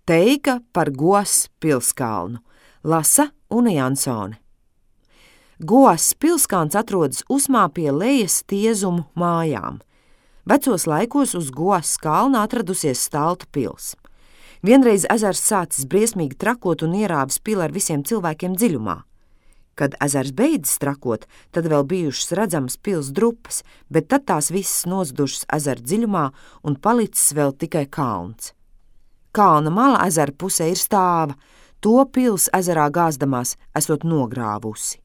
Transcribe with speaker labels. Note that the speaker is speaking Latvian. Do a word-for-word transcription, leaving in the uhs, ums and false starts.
Speaker 1: Teika par Goas pilskalnu. Lasa Une Jansone. Goas pilskalns atrodas Usmā pie Lejas Tiezumu mājām. Vecos laikos uz Goas kalna atradusies Stalta pils. Vienreiz ezers sācis briesmīgi trakot un ierāvis pili ar visiem cilvēkiem dziļumā. Kad ezers beidzis trakot, tad vēl bijušas redzamas pils drupas, bet tad tās visas nozudušas ezera dziļumā un palicis vēl tikai kalns. Kalna mala ezera pusē ir stāva, to pils ezerā gāzdamās esot nogrāvusi.